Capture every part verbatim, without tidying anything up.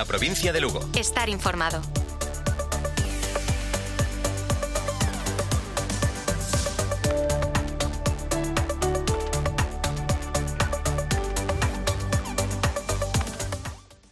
La provincia de Lugo. Estar informado.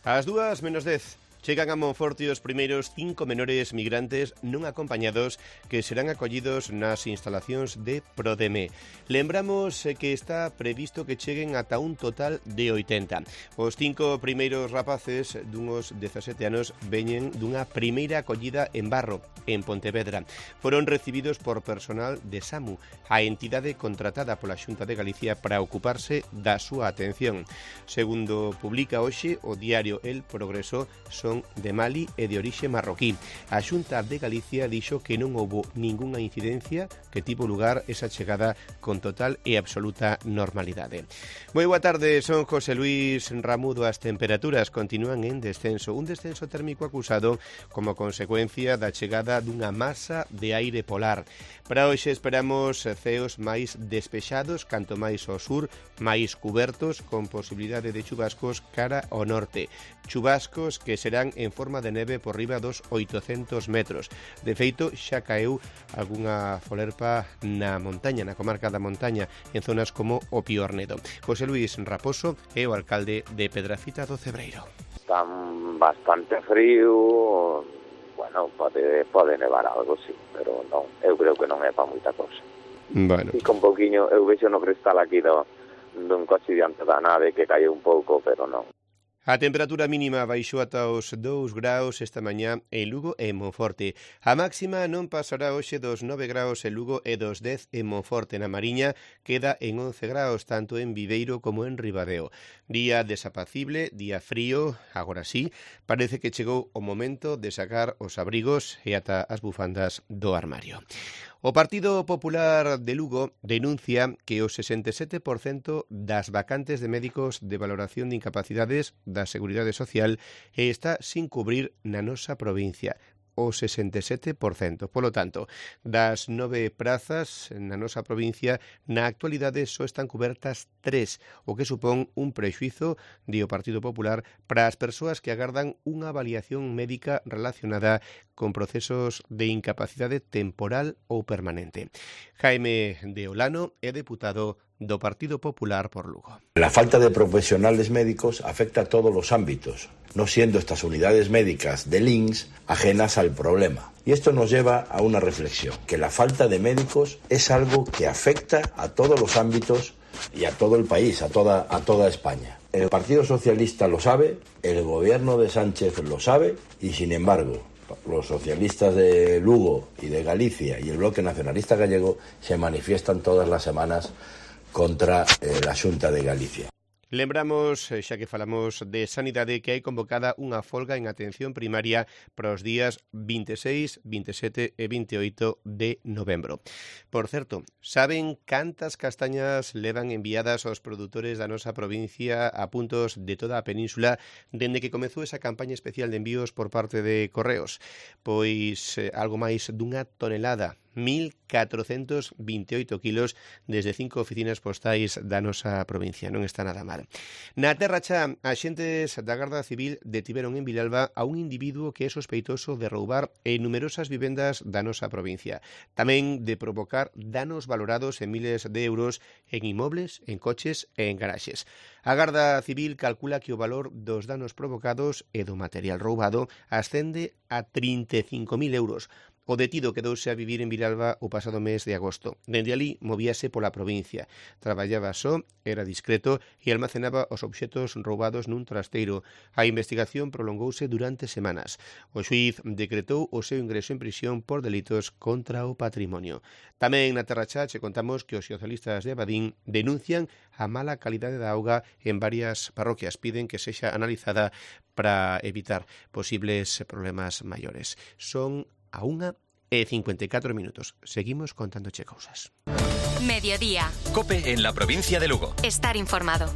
Ás dúas menos dez. Chegan a Monforte os primeiros cinco menores migrantes non acompañados que serán acollidos nas instalacións de Prodeme. Lembramos que está previsto que cheguen ata un total de oitenta. Os cinco primeiros rapaces dunhos dezasete anos veñen dunha primeira acollida en Barro, en Pontevedra. Foron recibidos por personal de SAMU, a entidade contratada pola Xunta de Galicia para ocuparse da súa atención. Segundo publica hoxe o diario El Progreso, son de Mali e de orixe marroquí. A Xunta de Galicia dixo que non houbo ningunha incidencia, que tivo lugar esa chegada con total e absoluta normalidade. Moi boa tarde, son José Luis Ramudo. As temperaturas continúan en descenso, un descenso térmico acusado como consecuencia da chegada dunha masa de aire polar. Para hoxe esperamos ceos máis despexados, canto máis ao sur, máis cubertos, con posibilidade de chubascos cara ao norte. Chubascos que serán en forma de neve por riba dos oitocentos metros. De feito, xa caeu algunha folerpa na montaña, na comarca da montaña, en zonas como o Piornedo. José Luis Raposo é o alcalde de Pedrafita do Cebreiro. Están bastante frío, bueno, pode, pode nevar algo, sí, pero non, eu creo que non é para moita cosa. Bueno. E con poquinho, eu vexo no cristal aquí do, dun coche diante da nave que cae un pouco, pero non. A temperatura mínima baixou ata os dous graus esta mañá en Lugo e en Monforte. A máxima non pasará hoxe dos nove graus en Lugo e dos dez en Monforte. Na Mariña queda en once graus, tanto en Viveiro como en Ribadeo. Día desapacible, día frío, agora sí, parece que chegou o momento de sacar os abrigos e ata as bufandas do armario. O Partido Popular de Lugo denuncia que o sesenta e sete por cento das vacantes de médicos de valoración de incapacidades da Seguridade Social está sin cubrir na nosa provincia. O sesenta e sete por cento. Polo tanto, das nove prazas na nosa provincia, na actualidade só están cubertas tres, o que supón un prexuízo, di o Partido Popular, para as persoas que agardan unha avaliación médica relacionada con procesos de incapacidade temporal ou permanente. Jaime de Olano é deputado do Partido Popular por Lugo. La falta de profesionales médicos afecta a todos los ámbitos, no siendo estas unidades médicas del I N S ajenas al problema. Y esto nos lleva a una reflexión, que la falta de médicos es algo que afecta a todos los ámbitos y a todo el país, a toda, a toda España. El Partido Socialista lo sabe, el gobierno de Sánchez lo sabe y, sin embargo, los socialistas de Lugo y de Galicia y el Bloque Nacionalista Gallego se manifiestan todas las semanas contra eh, la Xunta de Galicia. Lembramos, xa que falamos de sanidade, que hai convocada unha folga en atención primaria para os días vinte e seis, vinte e sete e vinte e oito de novembro. Por certo, saben cantas castañas levan enviadas aos produtores da nosa provincia a puntos de toda a península dende que comezou esa campaña especial de envíos por parte de Correos? Pois eh, algo máis dunha tonelada, mil catrocentos vinte e oito kilos desde cinco oficinas postais da nosa provincia. Non está nada mal. Na Terra Cha, axentes da Garda Civil detiveron en Vilalba a un individuo que é sospeitoso de roubar en numerosas vivendas da nosa provincia. Tamén de provocar danos valorados en miles de euros en inmobles, en coches e en garaxes. A Garda Civil calcula que o valor dos danos provocados e do material roubado ascende a trinta e cinco mil euros. O detido quedouse a vivir en Vilalba o pasado mes de agosto. Dende ali movíase pola provincia. Traballaba só, era discreto e almacenaba os obxetos roubados nun trasteiro. A investigación prolongouse durante semanas. O xuíz decretou o seu ingreso en prisión por delitos contra o patrimonio. Tamén na Terra Cha che contamos que os socialistas de Abadín denuncian a mala calidade da auga en varias parroquias. Piden que sexa analizada para evitar posibles problemas maiores. Son a unha e cincuenta e catro minutos. Seguimos contándoche cousas. Mediodía. COPE en la provincia de Lugo. Estar informado.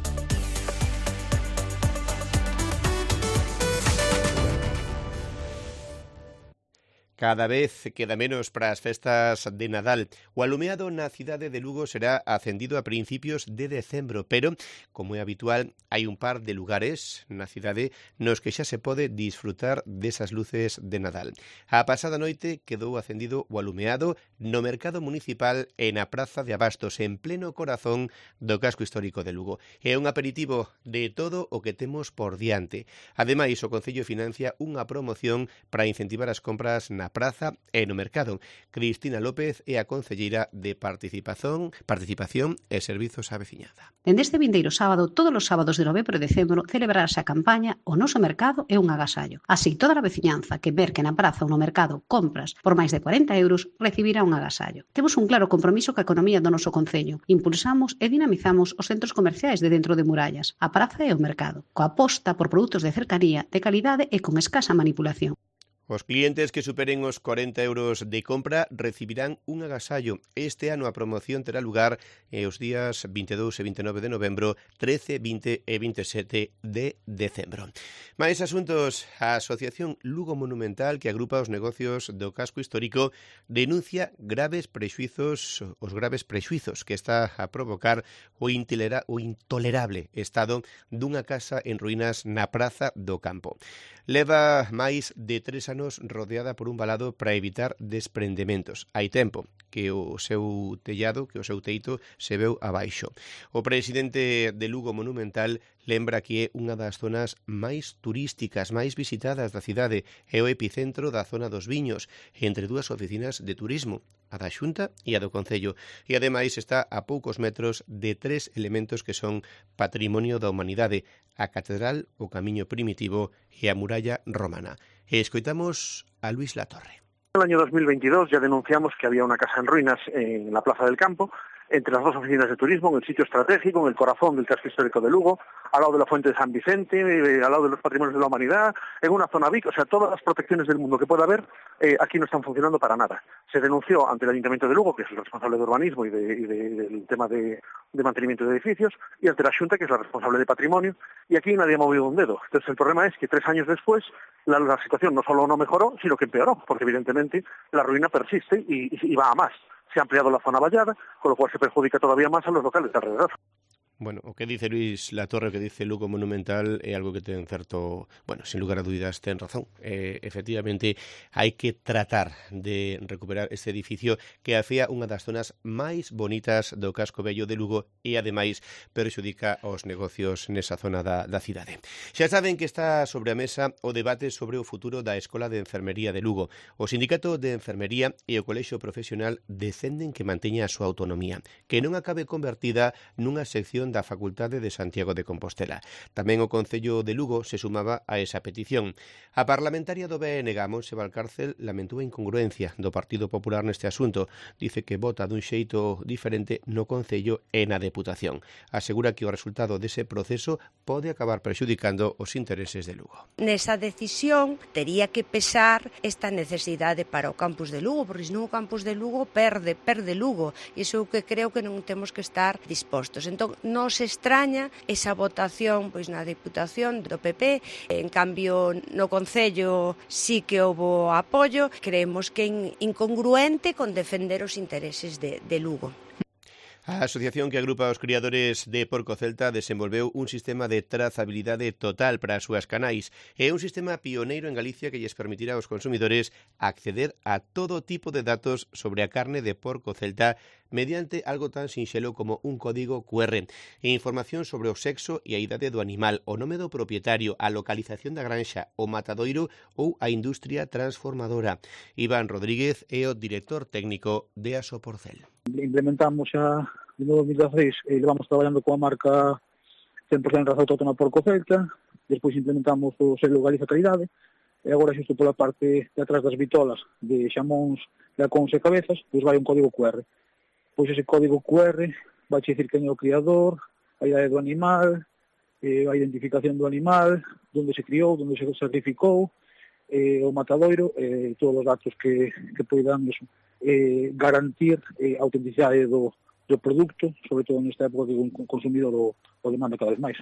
Cada vez queda menos para as festas de Nadal. O alumeado na cidade de Lugo será acendido a principios de decembro, pero, como é habitual, hai un par de lugares na cidade nos que xa se pode disfrutar desas luces de Nadal. A pasada noite quedou acendido o alumeado no mercado municipal e na Praza de Abastos, en pleno corazón do casco histórico de Lugo. É un aperitivo de todo o que temos por diante. Ademais, o Concello financia unha promoción para incentivar as compras na praza e no mercado. Cristina López é a concelleira de Participación, Participación e Servizos á Veciñanza. Dende este vindeiro sábado, todos os sábados de novembro e decembro, celebrarase a campaña O Noso Mercado é un agasallo. Así, toda a veciñanza que merque na praza ou no mercado compras por máis de cuarenta euros recibirá un agasallo. Temos un claro compromiso ca economía do noso concello. Impulsamos e dinamizamos os centros comerciais de dentro de murallas, a praza e o mercado, coa aposta por produtos de cercanía, de calidade e con escasa manipulación. Os clientes que superen os cuarenta euros de compra recibirán un agasallo. Este ano a promoción terá lugar eh, os días vinte e dous e vinte e nove de novembro, trece, vinte e vinte e sete de decembro. Mais asuntos, a Asociación Lugo Monumental, que agrupa os negocios do casco histórico, denuncia graves prexuizos, os graves prexuizos que está a provocar o, intilera, o intolerable estado dunha casa en ruínas na Praza do Campo. Leva máis de tres anos rodeada por un valado para evitar desprendementos. Hai tempo que o seu tellado, que o seu teito se veu abaixo. O presidente de Lugo Monumental lembra que é unha das zonas máis turísticas, máis visitadas da cidade, é o epicentro da zona dos viños, entre dúas oficinas de turismo, a da Xunta e a do Concello, e ademais está a poucos metros de tres elementos que son patrimonio da humanidade, a catedral, o camiño primitivo e a muralla romana. E escoitamos a Luis Latorre. En el año dos mil veintidós ya denunciamos que había una casa en ruinas en la Plaza del Campo, entre las dos oficinas de turismo, en el sitio estratégico, en el corazón del casco histórico de Lugo, al lado de la Fuente de San Vicente, eh, al lado de los patrimonios de la humanidad, en una zona V I C, o sea, todas las protecciones del mundo que pueda haber, eh, aquí no están funcionando para nada. Se denunció ante el Ayuntamiento de Lugo, que es el responsable de urbanismo y, de, y de, del tema de, de mantenimiento de edificios, y ante la Xunta, que es la responsable de patrimonio, y aquí nadie ha movido un dedo. Entonces el problema es que tres años después la, la situación no solo no mejoró, sino que empeoró, porque evidentemente la ruina persiste y, y, y va a más. Se ha ampliado la zona vallada, con lo cual se perjudica todavía más a los locales de alrededor. Bueno, o que dice Luis Latorre, o que dice Lugo Monumental é algo que ten certo, bueno, sin lugar a dúbidas ten razón. Eh, efectivamente, hai que tratar de recuperar este edificio que afía unha das zonas máis bonitas do casco vello de Lugo e, ademais, perxudica os negocios nesa zona da, da cidade. Xa saben que está sobre a mesa o debate sobre o futuro da Escola de Enfermería de Lugo. O Sindicato de Enfermería e o Colexio Profesional defenden que manteña a súa autonomía, que non acabe convertida nunha sección da Facultade de Santiago de Compostela. Tamén o Concello de Lugo se sumaba a esa petición. A parlamentaria do B N G, Montse Valcárcel, lamentou a incongruencia do Partido Popular neste asunto. Dice que vota dun xeito diferente no Concello e na Deputación. Asegura que o resultado dese proceso pode acabar prexudicando os intereses de Lugo. Nesa decisión tería que pesar esta necesidade para o campus de Lugo, porque senón o campus de Lugo perde, perde Lugo. E iso é o que creo que non temos que estar dispostos. Entón, non se extraña esa votación pois na Deputación do P P, en cambio no Concello sí que houbo apoio. Creemos que é incongruente con defender os intereses de, de Lugo. A asociación que agrupa os criadores de porco celta desenvolveu un sistema de trazabilidade total para as súas canais. É un sistema pioneiro en Galicia que lles permitirá aos consumidores acceder a todo tipo de datos sobre a carne de porco celta mediante algo tan sinxelo como un código cu erre e información sobre o sexo e a idade do animal, o nome do propietario, a localización da granxa, o matadoiro ou a industria transformadora. Iván Rodríguez é o director técnico de Asoporcel. Implementamos xa en dos mil dezasseis e levamos traballando coa marca cen por cento raza autóctona porco celta, despois implementamos o selo Galiza Calidade, e agora xusto pola parte de atrás das vitolas de xamóns, lacóns e cabezas, pois vai un código cu erre. Pois ese código cu erre vai dicir quen é o criador, a idade do animal, eh, a identificación do animal, onde se criou, onde se sacrificou, eh, o matadoiro, eh, todos os datos que, que poidan eh, garantir eh, a autenticidade do, do produto, sobre todo nesta época que o consumidor o, o demanda cada vez máis.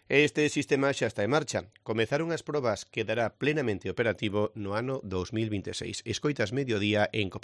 Este sistema xa está en marcha. Comezaron as probas, quedará plenamente operativo no ano dos mil vinte e seis. Escoitas Mediodía en COPE.